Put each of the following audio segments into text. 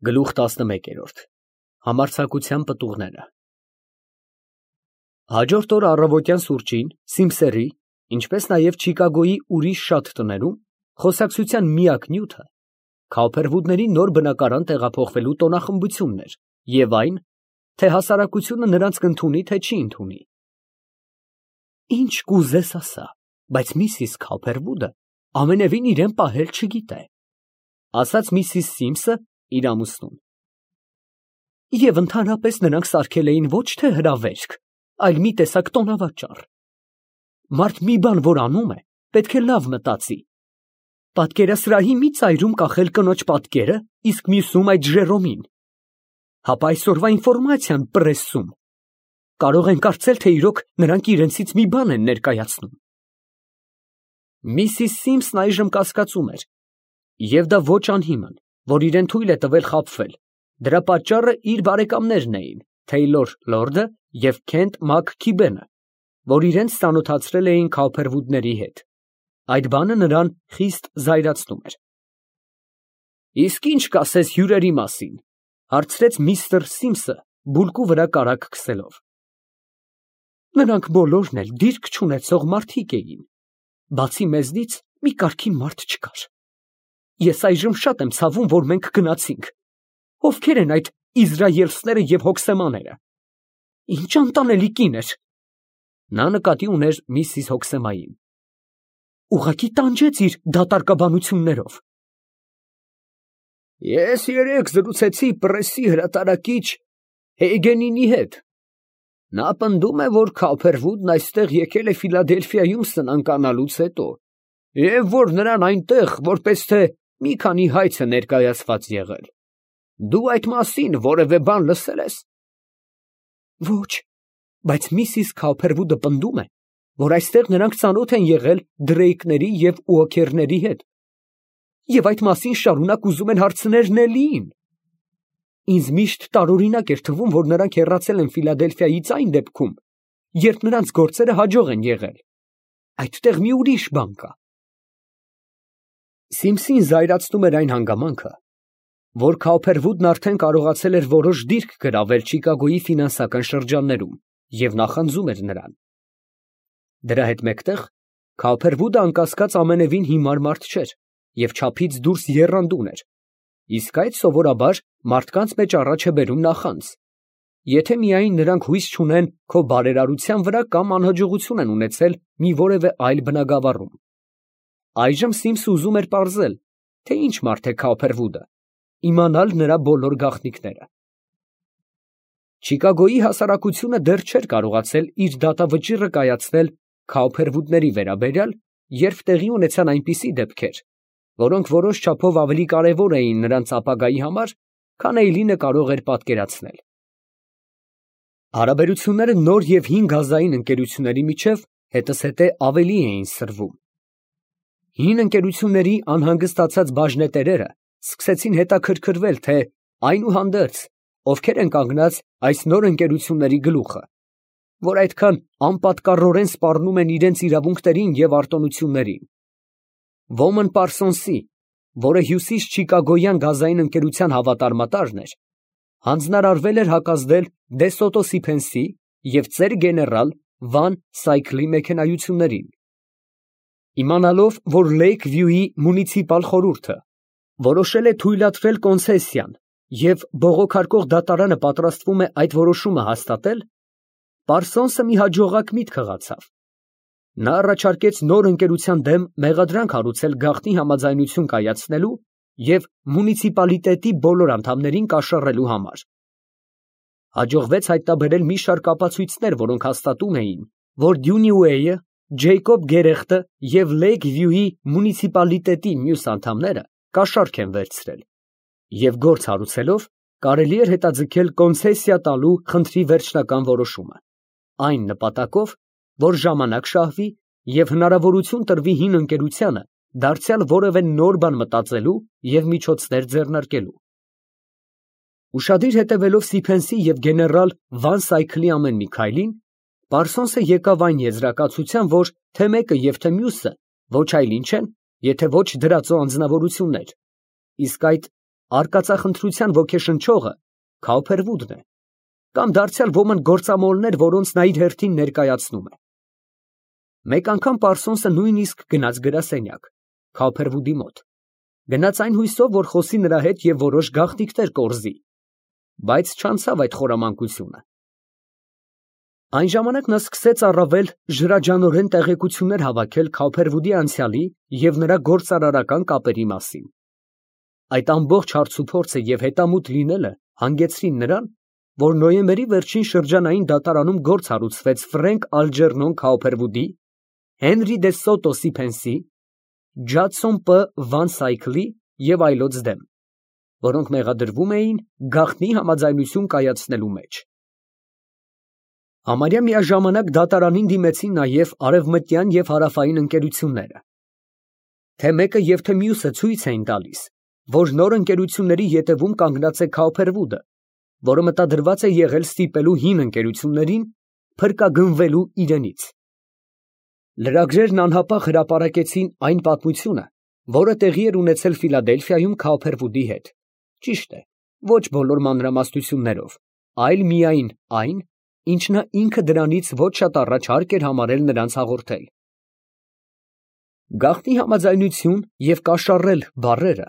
Գլուխ 11 Համարձակության պտուղները Հաջորդ օր առավոտյան սուրճին Սիմսերի, ինչպես նաև Չիկագոյի ուրիշ շատ տներում խոսակցության միակ նյութը Քոուփերվուդների նոր բնակարան տեղափոխվելու տոնախմբությունն էր և այն, թե հասարակությունը նրանց կընդունի, թե չի ընդունի։ Ինչ կուզես ասա, բայց միսիս Քոուփերվուդը ամենևին իրան պահել չգիտե, ասաց միսիս Սիմսը իր ամուսնուն։ Եվ ընդհանրապես նրանք սարքել էին ոչ թե հրավերք, այլ մի տեսակ տոնավաճառ։ Մարդ մի բան որ անում է, պետք է լավ մտածի։ Պատկերասրահի մի ծայրում կախել կնոջ պատկերը, իսկ մյուսում այդ Ժերոմին։ Հապա այսօրվա ինֆորմացիան պրեսում։ Կարող են կարծել, թե իրոք նրանք իրենցից մի բան են ներկայացնում։ Միսիս Սիմսն այժմ կասկածում էր, և դա ոչ անհիմն, որ իրեն թույլ է տվել խաբվել։ Դրա պատճառը իր բարեկամներն էին, Թեյլոր Լորդը և Քենթ Մաքքիբենը, որ իրենց ծանոթացրել էին Քոուփերվուդների հետ։ Այդ բանը նրան խիստ զայրացնում էր։ Իսկ ինչ կասես հյուրերի մասին, հարցրեց միստր Սիմսը բուլկու վրա կարագ քսելով։ Նրանք բոլորն էլ դիրք չունեցող մարդիկ էին, բացի մեզնից մի կարգին մարդ չկար։ Ես այժմ շատ եմ ցավում, որ մենք գնացինք։ Ովքեր են այդ իզրայելցիները և հոգսեմաները։ Ինչ անտանելի կին էր։ Նա նկատի ուներ միսիս Հոքսեմային։ Ուղղակի տանջեց իր դատարկաբանություններով։ Ես երեկ զրուցեցի պրեսի հրատարակիչ Հեյգենինի հետ։ Նա պնդում է, որ Քոուփերվուդն այստեղ եկել է Ֆիլադելֆիայում սնանկանալուց հետո, և որ նրան այնտեղ որպես թե մի քանի հայց է ներկայացված եղել։ Դու այդ մասին որևէ բան լսել ես։ Ոչ, բայց միսիս Քոուփերվուդը պնդում է, որ այստեղ նրանք ծանոթ են եղել Դրեյկների և Ուոքերների հետ, և այդ մասին շարունակ ուզում են հարցնել Նելլիին։ Ինձ միշտ տարօրինակ էր թվում, որ նրանք հեռացել են Ֆիլադելֆիայից այն դեպքում, երբ նրանց գործերը հաջող են եղել։ Այդտեղ մի ուրիշ բան կա։ Սիմսին զայրացնում էր այն հանգամանքը, որ Քոուփերվուդն արդեն կարողացել էր որոշ դիրք գրավել Չիկագոյի ֆինանսական շրջաններում և նախանձում էր նրան։ Դրա հետ մեկտեղ Քոուփերվուդը անկասկած ամենևին հիմար մարդ չէր և չափից դուրս եռանդուն էր, իսկ այդ սովորաբար մարդկանց մեջ առաջ է բերում նախանձ, եթե միայն նրանք հույս չունեն քո բարերարության վրա կամ անհաջողություն են ունեցել մի որևէ այլ բնագավառում։ Այժմ Սիմսը ուզում էր պարզել, թե ինչ մարդ է Քոուփերվուդը, իմանալ նրա բոլոր գաղտնիքները։ Չիկագոյի հասարակությունը դեռ չէր կարողացել իր դատավճիռը կայացնել Քոուփերվուդների վերաբերյալ, երբ տեղի ունեցան այնպիսի դեպքեր, որոնք որոշ չափով ավելի կարևոր էին նրանց ապագայի համար, քան Էյլինը կարող էր պատկերացնել։ Հարաբերությունները նոր և հին գազային ընկերությունների միջև հետզհետե ավելի էին սրվում։ Հին ընկերությունների անհանգստացած բաժնետերերը սկսեցին հետաքրքրվել, թե այնուհանդերձ ովքեր են կանգնած այս նոր ընկերությունների գլուխը, որ այդքան անպատկառորեն սպառնում են իրենց իրավունքներին և արտոնություններին։ Ոմն Պարսոնսի, որը հյուսիս Չիկագոյան գազային ընկերության հավատարմատարն էր, հանձնարարվել էր հակազդել Դե Սոտո Սիփենսի և ծեր գեներալ Վան Սայքլի մեքենայություններին։ Իմանալով, որ Լեյք Վյուի մունիցիպալ խորհուրդը որոշել է թույլատրել կոնցեսիան և բողոքարկող դատարանը պատրաստվում է այդ որոշումը հաստատել, Պարսոնսը մի հաջողակ միտք հղացավ։ Նա առաջարկեց նոր ընկերության դեմ մեղադրանք հարուցել գաղտնի համաձայնություն կայացնելու և մունիցիպալիտետի բոլոր անդամներին կաշառելու համար։ Հաջողվեց հայտնաբերել մի շարք ապացույցներ, որոնք հաստատում էին, որ Դյունյուեյը, Ջեյկոբ Գերեխտը և Լեյք Վյուի մունիցիպալիտետի մյուս անդամները կաշառք են վերցրել, և գործ հարուցելով կարելի էր հետաձգել կոնցեսիա տալու խնդրի վերջնական որոշումը, այն նպատակով, որ ժամանակ շահվի և հնարավորություն տրվի հին ընկերությանը դարձյալ որևէ նոր բան մտածելու և միջոցներ ձեռնարկելու։ Ուշադիր հետևելով Սիփենսի և գեներալ Վան Սայքլի ամեն մի քայլին, Պարսոնսը եկավ այն եզրակացության, որ թե մեկը և թե մյուսը ոչ այլ ինչ են, եթե ոչ դրածո անձնավորություններ, իսկ այդ արկածախնդրության ոգեշնչողը Քաուփերվուդն է, կամ դարձյալ ոմն գործամոլներ, որոնց նա իր հերթին ներկայացնում է։ Մեկ անգամ Պարսոնսը նույնիսկ գնաց գրասենյակ Քաուփերվուդի մոտ, գնաց այն հույսով, որ խոսի նրա հետ և որոշ գաղտնիքներ կորզի, բայց չանցավ այդ խորամանկությունը։ Այն ժամանակ նա սկսեց առավել ժրաջանորեն տեղեկություններ հավաքել Քաուփերվուդի անցյալի և նրա գործարարական կապերի մասին։ Այդ ամբողջ հարցուփորձը և հետամուտ լինելը հանգեցրին նրան, որ նոյեմբերի վերջին շրջանային դատարանում գործ հարուցվեց Ֆրենկ Ալջերնոն Քաուփերվուդի, Հենրի դե Սոտո Սիփենսի, Ջադսոն Պ. Վան Սայքլի և այլոց դեմ, որոնք մեղադրվում էին գաղտնի համաձայնություն կայացնելու մեջ։ Համարյա միաժամանակ դատարանին դիմեցին նաև արևմտյան և հարավային ընկերությունները։ Թե մեկը և թե մյուսը ցույց էին տալիս, որ նոր ընկերությունների ետևում կանգնած է Քաուփերվուդը, որը մտադրված է եղել ստիպելու հին ընկերություններին փրկագնվելու իրենից։ Լրագրերն անհապաղ հրապարակեցին այն պատմությունը, որը տեղի էր ունեցել Ֆիլադելֆիայում Քաուփերվուդի հետ, ճիշտ է, ոչ բոլոր մանրամասնություններով, այլ միայն այն, ինչ նա ինքը դրանից ոչ շատ առաջ հարկ էր համարել նրանց հաղորդել։ Գաղտնի համաձայնություն և կաշառել բառերը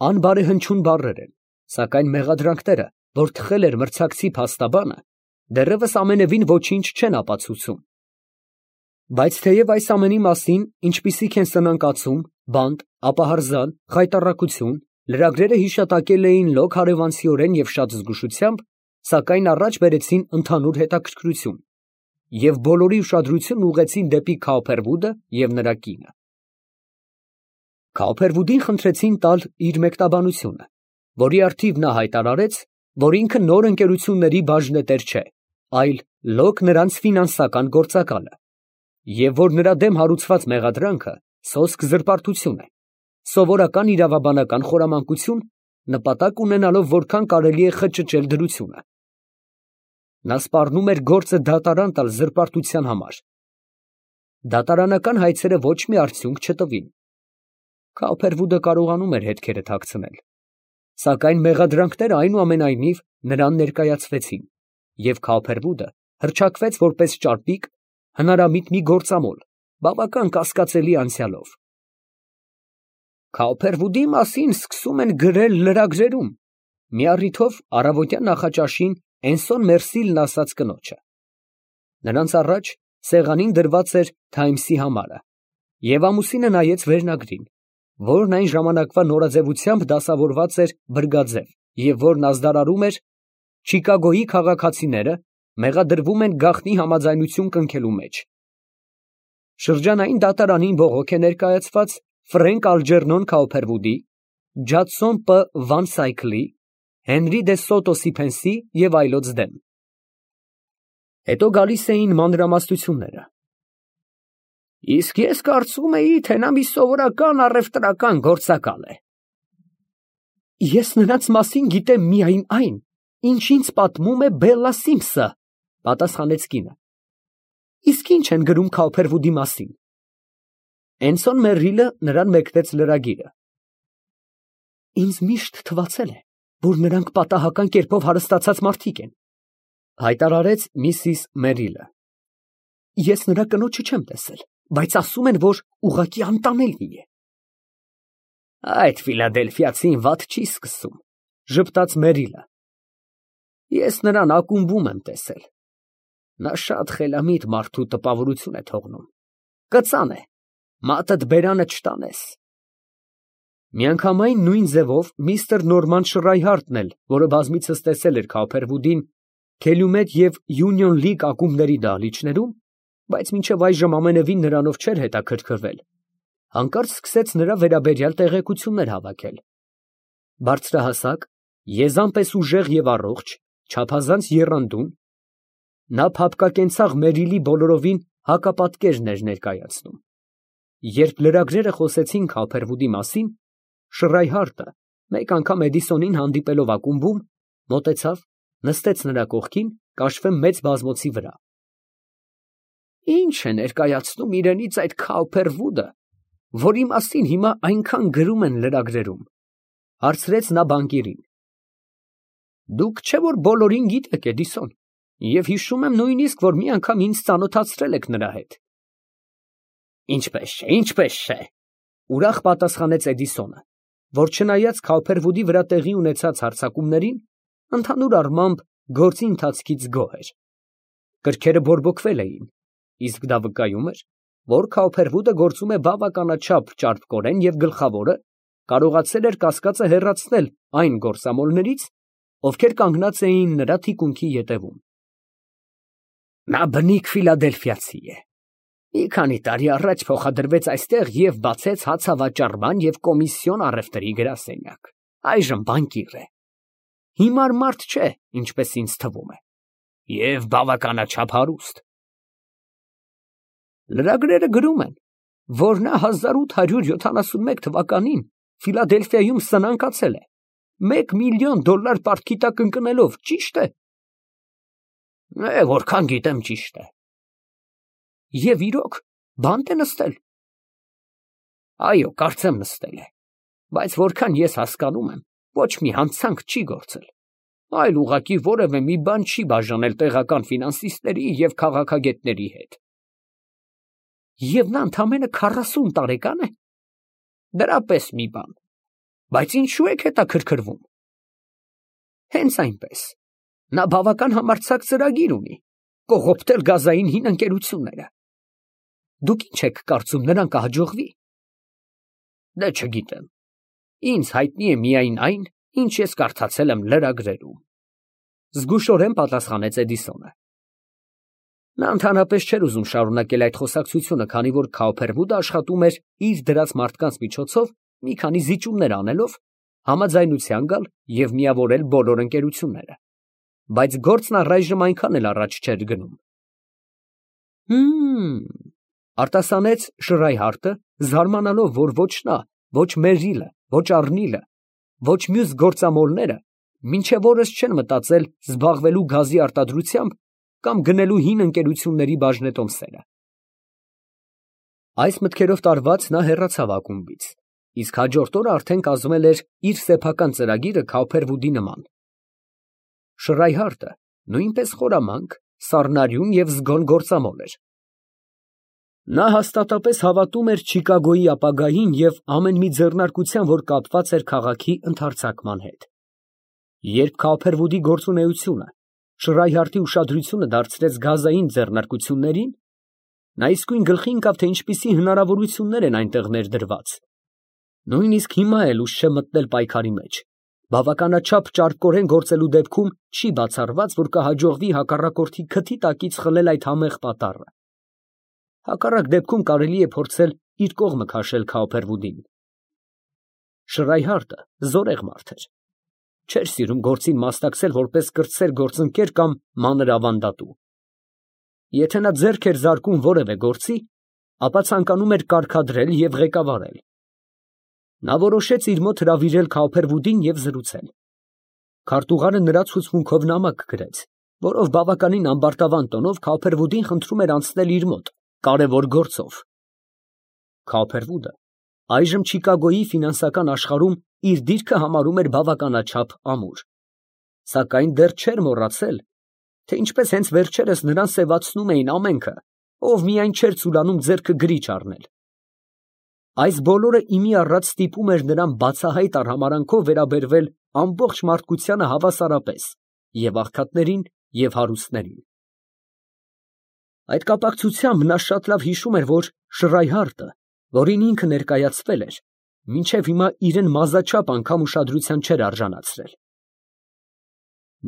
անբարեհնչյուն բառեր են, սակայն մեղադրանքները, որ թխել էր մրցակցի փաստաբանը, դեռևս ամենևին ոչինչ չեն ապացուցում։ Բայց թեև այս ամենի մասին, ինչպիսիք են սնանկացում, բանտ, ապահարզան, խայտառակություն, լրագրերը հիշատակել էին լոկ հարևանցիորեն և շատ զգուշությամբ, սակայն առաջ բերեցին ընդհանուր հետաքրքրություն և բոլորի ուշադրությունն ուղղեցին դեպի Քաուփերվուդը և նրա կինը։ Քաուփերվուդին խնդրեցին տալ իր մեկնաբանությունը, որի առթիվ նա հայտարարեց, որ ինքը նոր ընկերությունների բաժնետեր չէ, այլ լոկ նրանց ֆինանսական գործակալը, և որ նրա դեմ հարուցված մեղադրանքը սոսկ զրպարտություն է, սովորական իրավաբանական խորամանկություն, նպատակ ունենալով որքան կարելի է խճճել դրությունը։ Նա սպառնում էր գործը դատարան տալ զրպարտության համար։ Դատարանական հայցերը ոչ մի արդյունք չտվին։ Քաուփերվուդը կարողանում էր հետքերը թաքցնել, սակայն մեղադրանքները այնուամենայնիվ նրան ներկայացվեցին, և Քաուփերվուդը հռչակվեց որպես ճարպիկ, հնարամիտ մի գործամոլ, բավական կասկածելի անցյալով։ Քաուփերվուդի մասին սկսում են գրել լրագրերում, մի առիթով առավոտյան նախաճաշին Էնսոն Մերսիլն ասաց կնոջը։ Նրանց առաջ սեղանին դրված էր Թայմսի համարը, և ամուսինը նայեց վերնագրին, որն այն ժամանակվա նորաձևությամբ դասավորված էր բրգաձև, և որն ազդարարում էր Չիկագոյի քաղաքացիները մեղադրվում են գաղտնի համաձայնություն կնքելու մեջ։ Շրջանային դատարանին բողոք է ներկայացված Ֆրենկ Ալջերնոն Քաուփերվուդի, Ջադսոն Պ. Վան Սայքլի, Հենրի դե Սոտո Սիփենսի և այլոց դեմ։ Հետո գալիս էին մանրամասնությունները։ Իսկ ես կարծում էի, թե նա մի սովորական առևտրական գործակալ է։ Ես նրանց մասին գիտեմ միայն այն, ինչ ինձ պատմում է Բելլա Սիմսը, պատասխանեց կինը։ Իսկ ի՞նչ են գրում Քաուփերվուդի մասին։ Էնսոն Մերրիլը նրան մեկնեց լրագիրը։ Ինձ միշտ թվացել է, որ նրանք պատահական կերպով հարստացած մարդիկ են, հայտարարեց միսիս Մերրիլը։ Ես նրա կնոջը չեմ տեսել, բայց ասում են, որ ուղղակի անտանելի է։ Այդ ֆիլադելֆիացին վատ չի սկսում, ժպտաց Մերրիլը։ Ես նրան ակումբում եմ տեսել։ Նա շատ խելամիտ մարդու տպավորություն է թողնում։ Կծան է, մատդ բերանը չտանես։ Միանգամայն նույն ձևով միստր Նորման Շրայհարդն էլ, որը բազմիցս տեսել էր Քաուփերվուդին Քելյումեթ և Յունիոն Լիգ ակումբների դահլիճներում, բայց մինչև այժմ ամենևին նրանով չէր հետաքրքրվել, հանկարծ սկսեց նրա վերաբերյալ տեղեկություններ հավաքել։ Բարձրահասակ, եզան պես ուժեղ և առողջ, չափազանց եռանդուն, նա փափկակենցաղ Մերիլի բոլորովին հակապատկերն էր ներկայացնում։ Երբ լրագրերը խոսեցին Քաուփերվուդի մասին, Շրայհարդը, մեկ անգամ Էդիսոնին հանդիպելով ակումբում, մոտեցավ, նստեց նրա կողքին, կաշվե մեծ բազմոցի վրա։ Ինչ է ներկայացնում իրենից այդ Քաուփերվուդը, որի մասին հիմա այնքան գրում են լրագրերում։ Հարցրեց նա բանկիրին։ Դուք չէ՞ որ բոլորին գիտեք, Էդիսոն, և հիշում եմ նույնիսկ, որ մի անգամ ինձ ծանոթացրել եք նրա հետ։ Ինչպես չէ, ուրախ պատասխանեց Էդիսոնը, որ չնայած Քոփերվուդի վրա տեղի ունեցած հարձակումներին, ընդհանուր առմամբ գործի ընթացքից գոհ էր։ Կրքերը բորբոքվել էին, իսկ դա վկայում էր, որ Քոփերվուդը գործում է բավականաչափ ճարպկորեն և գլխավորը կարողացել էր կասկածը հեռացնել այն գործամոլներից, ովքեր կանգնած էին նրա թիկունքի ետևում։ Նա բնիկ ֆիլադելֆիացի է։ Մի քանի տարի առաջ փոխադրվեց այստեղ և բացեց հացավաճառման և կոմիսիոն առևտրի գրասենյակ։ Այժմ բանկիր է։ Հիմար մարդ չէ, ինչպես ինձ թվում է, և բավականաչափ հարուստ։ Լրագրերը գրում են, որ նա 1871 թվականին Ֆիլադելֆիայում սնանկացել է, $1 միլիոն պարտքի տակ ընկնելով, ճի՞շտ է։ Որքան գիտեմ, ճիշտ է։ Եվ իրոք, բանտ է նստել։ Այո, կարծեմ նստել է, բայց որքան ես հասկանում եմ, ոչ մի հանցանք չի գործել, այլ ուղղակի որևէ մի բան չի բաժանել տեղական ֆինանսիստների և քաղաքագետների հետ։ Եվ նա ընդամենը 40 տարեկան է։ Դրա պես մի բան։ Բայց ինչու եք հետաքրքրվում։ Հենց այնպես։ Նա բավական համարձակ ծրագիր ունի կողոպտել գազային հին ընկերությունները։ Դուք ինչ եք կարծում, նրան կհաջողվի։ Դե չգիտեմ։ Ինձ հայտնի է միայն այն, ինչ ես կարդացել եմ լրագրերում։ Զգուշորեն պատասխանեց Էդիսոնը։ Նա ընդհանրապես չէր ուզում շարունակել այդ խոսակցությունը, քանի որ Քոփերվուդը աշխատում էր իր դրած մարդկանց միջոցով մի քանի զիջումներ անելով, համաձայնության գալ և միավորել բոլոր ընկերությունները, բայց գործն առայժմ այնքան էլ առաջ չէր գնում։ Արտասանեց Շրայհարտը, զարմանալով, որ ոչ նա, ոչ Մերրիլը, ոչ Առնիլը, ոչ մյուս գործամոլները մինչև օրս չեն մտածել զբաղվելու գազի արտադրությամբ կամ գնելու հին ընկերությունների բաժնետոմսերը։ Այս մտքերով տարված նա հեռացավ ակումբից, իսկ հաջորդ օրը արդեն կազմել էր իր սեփական ծրագիրը Քոփերվուդի նման։ Շրայհարտը նույնպես խորամանկ, սառնարյուն և զգոն գործամոլ էր։ Նա հաստատապես հավատում էր Չիկագոյի ապագային և ամեն մի ձեռնարկության, որ կապված էր քաղաքի ընդարձակման հետ։ Երբ Քոփերվուդի գործունեությունը Շրայհարտի ուշադրությունը դարձրեց գազային ձեռնարկություններին, նա իսկույն գլխի ընկավ, թե ինչպիսի հնարավորություններ են այնտեղ ներդրված։ Նույնիսկ հիմա էլ ուշ չէ մտնել պայքարի մեջ, բավականաչափ ճարպկորեն գործելու դեպքում չի բացառված, որ կհաջողվի հակառակորդի քթի տակից խլել այդ համեղ պատառը։ Հակառակ դեպքում կարելի է փորձել իր կողմը քաշել Քոփերվուդին։ Շրայհարտը զորեղ մարդ էր։ Չէր սիրում գործին մասնակցել որպես կրտսեր գործընկեր կամ մանր ավանդատու։ Եթե նա ձեռք էր զարկում որևէ գործի, ապա ցանկանում էր կարգադրել և ղեկավարել։ Նա որոշեց իր մոտ հրավիրել Քոփերվուդին և զրուցել։ Քարտուղարը նրա ցուցմունքով նամակ գրեց, որով բավականին ամբարտավան տոնով Քոփերվուդին խնդրում էր անցնել իր մոտ կարևոր գործով։ Քոփերվուդը այժմ Չիկագոյի ֆինանսական աշխարհում իր դիրքը համարում էր բավականաչափ ամուր, սակայն դեռ չէր մոռացել, թե ինչպես հենց վերջերս նրան սևացնում էին ամենքը, ով միայն չէր ցուլանում ձեռքը գրիչ առնել։ Այս բոլորը իմի առած ստիպում էր նրան բացահայտ արհամարհանքով վերաբերվել ամբողջ մարդկությանը հավասարապես, և աղքատներին, և հարուստներին։ Այդ կապակցությամբ նա շատ լավ հիշում էր, որ Շրայհարտը, որին ինքը ներկայացվել էր, մինչև հիմա իրան մազաչափ անգամ ուշադրության չէր արժանացրել։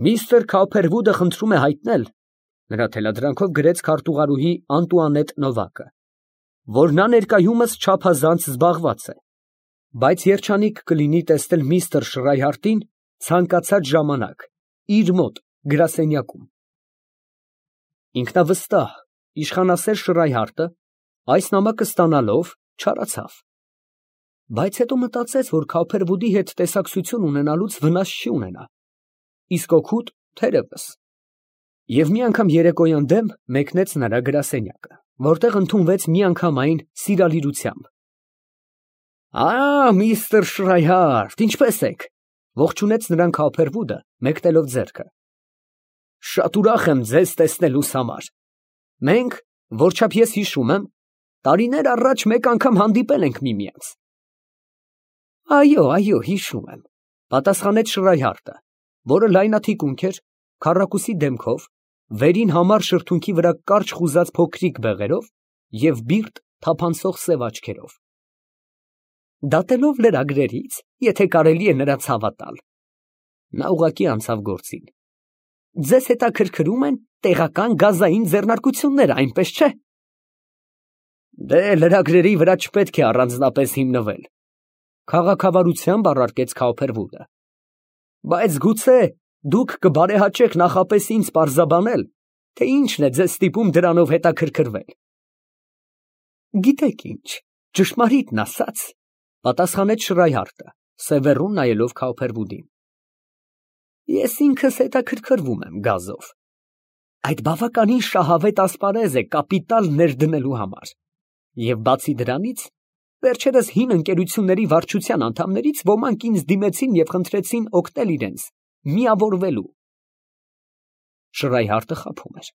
Միստր Քոփերվուդը խնդրում է հայտնել, նրա թելադրանքով գրեց քարտուղարուհի Անտուանետ Նովակը, որ նա ներկայումս չափազանց զբաղված է, բայց երջանիկ կլինի տեսնել միստր Շրայհարտին ցանկացած ժամանակ իր մոտ գրասենյակում։ Ինքնավստահ, իշխանասեր Շրայհարտը այս նամակը ստանալով չարացավ, բայց հետո մտածեց, որ Քոփերվուդի հետ տեսակցություն ունենալուց վնաս չի ունենա, իսկ օգուտ թերևս, և մի անգամ երեկոյան դեմ մեկնեց նրա գրասենյակը, որտեղ ընդունվեց միանգամայն սիրալիրությամբ։ Միստր Շրայհարդ, ինչպե՞ս եք, ողջունեց նրան Քոփերվուդը, մեկնելով ձեռքը։ Շատ ուրախ եմ ձեզ տեսնելուս համար։ Մենք, որչափ ես հիշում եմ, տարիներ առաջ մեկ անգամ հանդիպել ենք միմյանց։ Այո, հիշում եմ, պատասխանեց Շրայհարդը, որը լայնաթիկունք էր, քառակուսի դեմքով, վերին համառ շրթունքի վրա կարճ խուզած փոքրիկ բեղերով և բիրտ թափանցող սև աչքերով։ Դատելով լրագրերից, եթե կարելի է նրանց հավատալ։ Նա ուղղակի անցավ գործին։ Ձեզ հետաքրքրում են տեղական գազային ձեռնարկությունները, այնպես չէ։ Դե լրագրերի վրա չպետք է առանձնապես հիմնվել, քաղաքավարությամբ առարկեց Քոփերվուդը։ Բայց գուցե դուք կբարեհաճեք նախապես ինձ պարզաբանել, թե ինչն է ձեզ ստիպում դրանով հետաքրքրվել։ Գիտեք ինչ, ճշմարիտն ասած, պատասխանեց Շրայհարդը, սևեռուն նայելով Քոփերվուդին։ Ես ինքս հետաքրքրվում եմ գազով։ Այդ բավականին շահավետ ասպարեզ է կապիտալ ներդնելու համար։ Եվ բացի դրանից, վերջերս հին ընկերությունների վարչության անդամներից ոմանք ինձ դիմեցին և խնդրեցին օգնել իրենց միավորվելու։ Շրայհարդը խաբում էր։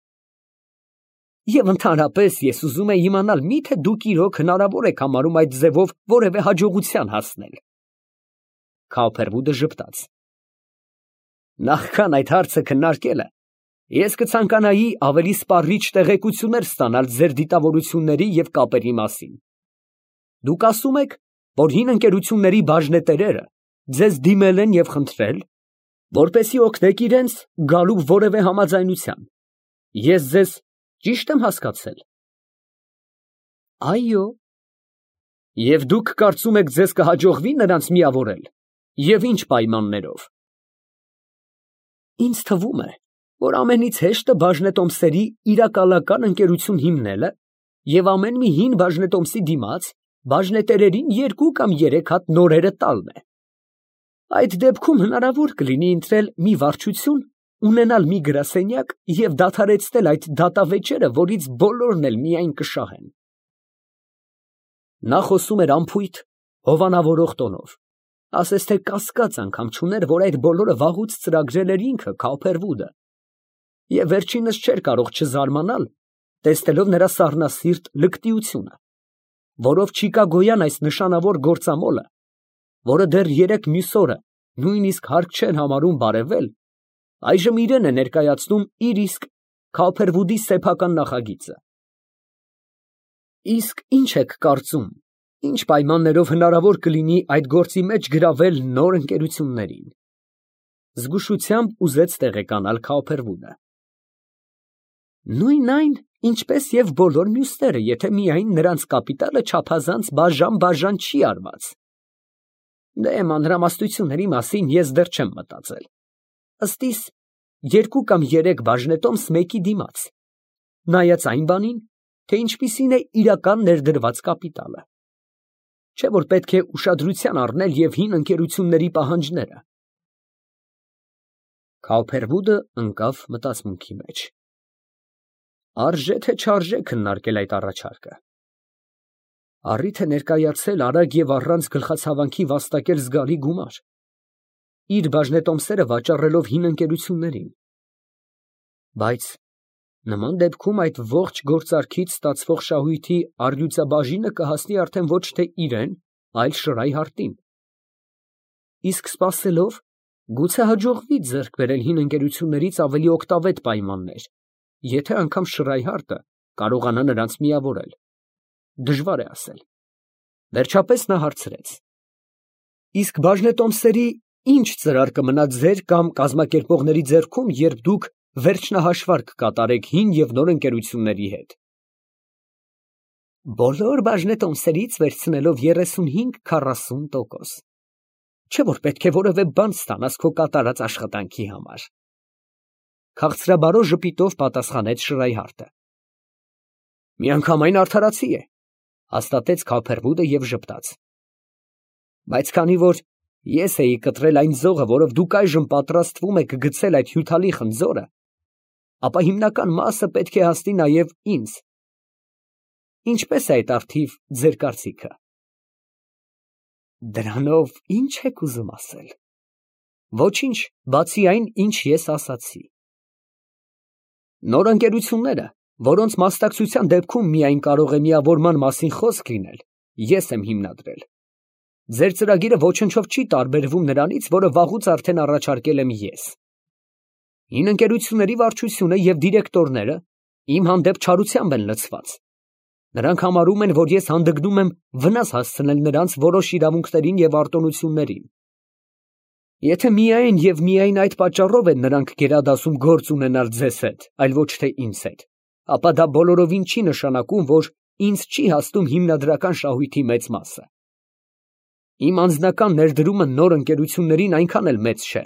Եվ ընդհանրապես ես ուզում եի իմանալ, միթե դուք իրոք հնարավոր եք համարում այդ ձևով որևէ հաջողության հասնել։ Քոփերվուդը ժպտաց։ Նախքան այդ հարցը քննարկելը, ես կցանկանայի ավելի սպառիչ տեղեկություններ ստանալ ձեր դիտավորությունների և կապերի մասին։ Դուք ասում եք, որ հին ընկերությունների բաժնետերերը ձեզ դիմել են և խնդրել, որպեսզի օգնեք իրենց գալու որևէ համաձայնության։ Ես ձեզ ճի՞շտ եմ հասկացել։ Այո։ Եվ դուք կարծում եք ձեզ կհաջողվի նրանց միավորել, և ինչ պայմաններով։ Ինձ թվում է, որ ամենից հեշտը բաժնետոմսերի իրակալական ընկերություն հիմնելը և ամեն մի հին բաժնետոմսի դիմաց բաժնետերերին 2 կամ 3 հատ նորերը տալն է։ Այդ դեպքում հնարավոր կլինի ընտրել մի վարչություն, ունենալ մի գրասենյակ և դադարեցնել այդ դատավեճերը, որից բոլորն էլ միայն կշահեն։ Նա խոսում էր անփույթ, հովանավորող տոնով, ասես թե կասկած անգամ չուներ, որ այդ բոլորը վաղուց ծրագրել էր ինքը Քոփերվուդը, և վերջինս չէր կարող չզարմանալ, տեսնելով նրա սառնասիրտ լկտիությունը, որով չիկագոյան այս նշանավոր գործամոլը, որը դեռ 3 մյուս օրը նույնիսկ հարկ չէր համարում բարևել, այժմ իրեն է ներկայացնում իր իսկ Քոփերվուդի սեփական նախագիծը։ Իսկ ինչ եք կարծում, ինչ պայմաններով հնարավոր կլինի այդ գործի մեջ գրավել նոր ընկերություններին։ Զգուշությամբ ուզեց տեղեկանալ Քոփերվուդը։ Նույն այն, ինչպես և բոլոր մյուսները, եթե միայն նրանց կապիտալը չափազանց բաժան չի արված։ Դե մանրամասնությունների մասին ես դեռ չեմ մտածել։ Ըստ իս, 2 կամ 3 բաժնետոմս մեկի դիմաց, նայած այն բանին, թե ինչպիսին է իրական ներդրված կապիտալը։ Չէ՞ որ պետք է ուշադրության առնել և հին ընկերությունների պահանջները։ Քոփերվուդը ընկավ մտածմունքի մեջ։ Արժե թե չարժե քննարկել այդ առաջարկը։ Առիթ է ներկայացել արագ և առանց գլխացավանքի վաստակել զգալի գումար, իր բաժնետոմսերը վաճառելով հին ընկերություններին։ Բայց նման դեպքում այդ ողջ գործարքից ստացվող շահույթի առյուծաբաժինը կհասնի արդեն ոչ թե իրան, այլ Շրայհարդին։ Իսկ սպասելով, գուցե հաջողվի ձեռք բերել հին ընկերություններից ավելի օգտավետ պայմաններ, եթե անգամ Շրայհարդը կարողանա նրանց միավորել։ Դժվար է ասել։ Վերջապես նա հարցրեց. Իսկ բաժնետոմսերի ինչ ծրար կմնա ձեր կամ կազմակերպողների ձեռքում, երբ դուք վերջնահաշվարկ կկատարեք հին և նոր ընկերությունների հետ։ Բոլոր բաժնետոմսերից վերցնելով 35-40%։ Չէ՞ որ պետք է որևէ բան ստանաս քո կատարած աշխատանքի համար։ Քաղցրաբարո ժպիտով պատասխանեց Շրայհարդը։ Միանգամայն արդարացի է, հաստատեց Քոփերվուդը և ժպտաց։ Բայց քանի որ ես էի կտրել այն ձողը, որով դուք այժմ պատրաստվում եք գցել այդ հյութալի խնձորը, ապա հիմնական մասը պետք է հասնի նաև ինձ։ Ինչպե՞ս է այդ առթիվ ձեր կարծիքը։ Դրանով ի՞նչ եք ուզում ասել։ Ոչինչ, բացի այն, ինչ ես ասացի։ Նոր ընկերությունները, որոնց մասնակցության դեպքում միայն կարող է միավորման մասին խոսք լինել, ես եմ հիմնադրել։ Ձեր ծրագիրը ոչնչով չի տարբերվում նրանից, որը վաղուց արդեն առաջարկել եմ ես։ Հին ընկերությունների վարչությունը և դիրեկտորները իմ հանդեպ չարությամբ են լցված։ Նրանք համարում են, որ ես հանդգնում եմ վնաս հասցնել նրանց որոշ իրավունքներին և արտոնություններին։ Եթե միայն և միայն այդ պատճառով են նրանք գերադասում գործ ունենալ ձեզ հետ, այլ ոչ թե ինձ հետ, ապա դա բոլորովին չի նշանակում, որ ինձ չի հասնում հիմնադրական շահույթի մեծ մասը։ Իմ անձնական ներդրումը նոր ընկերություններին այնքան էլ մեծ չէ։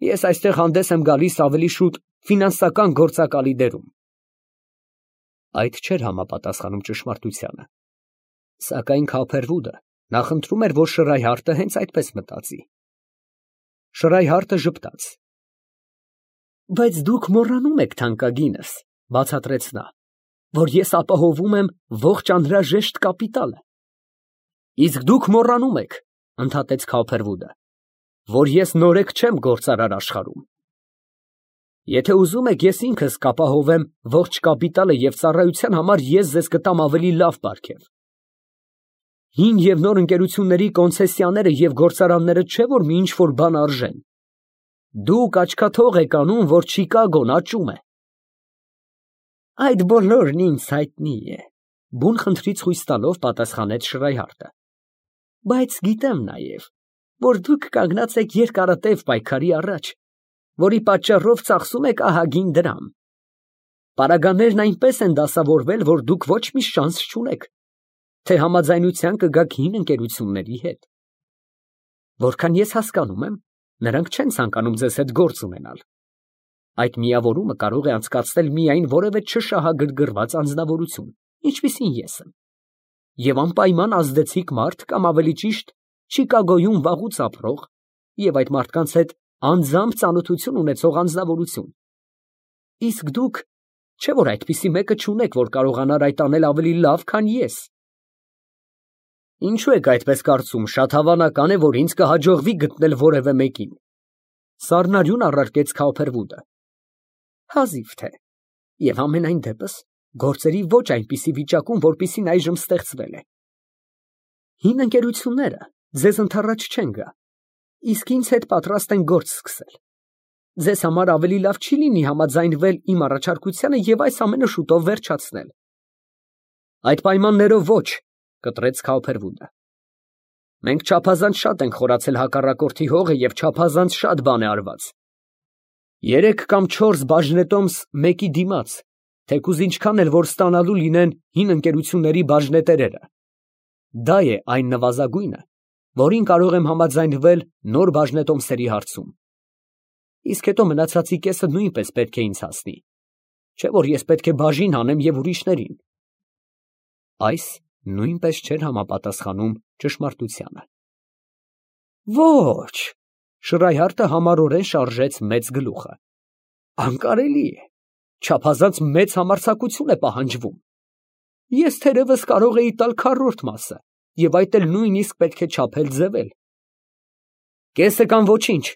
Ես այստեղ հանդես եմ գալիս ավելի շուտ ֆինանսական գործակալի դերում։ Այդ չէր համապատասխանում ճշմարտությանը։ Սակայն Քոփերվուդը նախընտրում էր, որ Շրայհարտը հենց այդպես մտածի։ Շրայհարտը ժպտաց։ Բայց դուք մոռանում եք, թանկագինս, բացատրեց նա, որ ես ապահովում եմ ողջ անհրաժեշտ կապիտալը։ Իսկ դուք մոռանում եք, ընդհատեց Քոփերվուդը, որ ես նորեկ չեմ գործարար աշխարհում։ Եթե ուզում եք, ես ինքս կապահովեմ ողջ կապիտալը և ծառայության համար ես ձեզ կտամ ավելի լավ պարգև։ Հին և նոր ընկերությունների կոնցեսիաները և գործարանները չէ որ մի ինչ-որ բան արժեն։ Դուք աչքաթող եք անում, որ Չիկագոն աճում է։ Այդ բոլորն ինձ հայտնի է, բուն խնդրից խույս տալով պատասխանեց Շրայհարտը։ Բայց գիտեմ նաև, որ դուք կանգնած եք երկարատև պայքարի առաջ, որի պատճառով ծախսում եք ահագին դրամ։ Պարագաներն այնպես են դասավորվել, որ դուք ոչ մի շանս չունեք, թե համաձայնության կգաք հին ընկերությունների հետ։ Որքան ես հասկանում եմ, նրանք չեն ցանկանում ձեզ հետ գործ ունենալ։ Այդ միավորումը կարող է անցկացնել միայն որևէ չշահագրգռված անձնավորություն, ինչպիսին ես եմ, և անպայման ազդեցիկ մարդ կամ ավելի ճիշտ Չիկագոյում վաղուց ապրող և այդ մարդկանց հետ անձամբ ծանոթություն ունեցող անձնավորություն։ Իսկ դուք, չէ՞ որ այդպիսի մեկը չունեք, որ կարողանար այդ անել ավելի լավ, քան ես։ Ինչու եք այդպես կարծում, շատ հավանական է, որ ինձ կհաջողվի գտնել որևէ մեկին։ Սառնարյուն առարկեց Քոփերվուդը։ Հազիվ թե։ Եվ ամենայն դեպս գործերի ոչ այնպիսի վիճակում, որպիսին այժմ ստեղծվել է։ Հին ընկերությունները ձեզ ընդառաջ չեն գա, իսկ ինձ հետ պատրաստ են գործ սկսել։ Ձեզ համար ավելի լավ չի լինի համաձայնվել իմ առաջարկությանը և այս ամենը շուտով վերջացնել։ Այդ պայմաններով ոչ, կտրեց Քոփերվուդը։ Մենք չափազանց շատ ենք խորացել հակառակորդի հողը և չափազանց շատ բան է արված։ 3 կամ 4 բաժնետոմս մեկի դիմաց, թեկուզ ինչքան էլ որ ստանալու լինեն հին ընկերությունների բաժնետերերը։ Դա է այն նվազագույնը, որին կարող եմ համաձայնվել նոր բաժնետոմսերի հարցում։ Իսկ հետո մնացածի կեսը նույնպես պետք է ինձ հասնի, չէ՞ որ ես պետք է բաժին հանեմ և ուրիշներին։ Այս նույնպես չէր համապատասխանում ճշմարտությանը։ Ոչ, Շրայհարտը համառորեն շարժեց մեծ գլուխը։ Անկարելի է, չափազանց մեծ համարձակություն է պահանջվում։ Ես թերևս կարող էի տալ քառորդ մասը, և այդ էլ նույնիսկ պետք է չափել ձևել։ Կեսը կամ ոչինչ,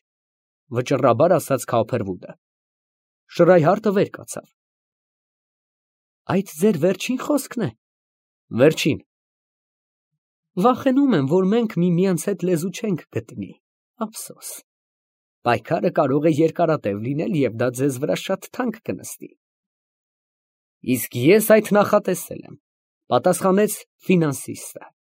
վճռաբար ասաց Քոփերվուդը։ Շրայհարտը վեր կացավ։ Այդ ձեր վերջին խոսքն է։ Վերջին։ Վախենում եմ, որ մենք միմյանց հետ լեզու չենք գտնի, ափսոս։ Պայքարը կարող է երկարատև լինել և դա ձեզ վրա շատ թանկ կնստի։ Իսկ ես այդ նախատեսել եմ, պատասխանեց ֆինանսիստը։